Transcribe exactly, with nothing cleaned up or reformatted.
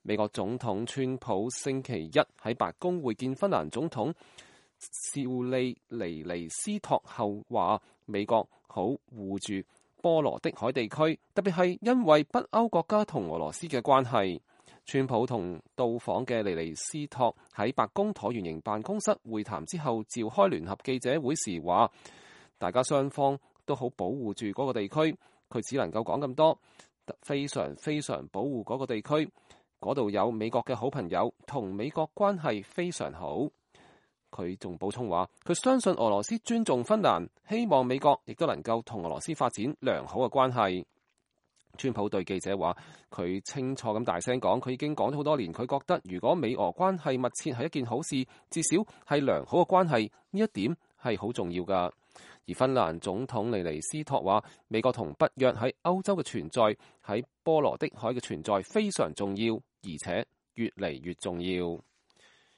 美國總統川普星期一喺白宮會見芬蘭總統少利尼尼斯托後話，美國好護住波羅的海地區，特別係因為北歐國家同俄羅斯嘅關係。川普同到訪嘅尼尼斯托喺白宮橢圓形辦公室會談之後召開聯合記者會時話，大家雙方都好保護住嗰個地區，佢只能夠講咁多，非常非常保護嗰個地區，嗰度有美國嘅好朋友，同美國關係非常好。佢仲補充話，佢相信俄羅斯尊重芬蘭，希望美國亦都能夠同俄羅斯發展良好嘅關係。川普對記者話，佢清楚咁大聲講，佢已經講咗好多年，佢覺得如果美俄關係密切係一件好事，至少係良好嘅關係，呢一點係好重要㗎。而芬蘭總統尼尼斯托話，美國同北約喺歐洲嘅存在，喺波羅的海嘅存在非常重要，而且越嚟越重要。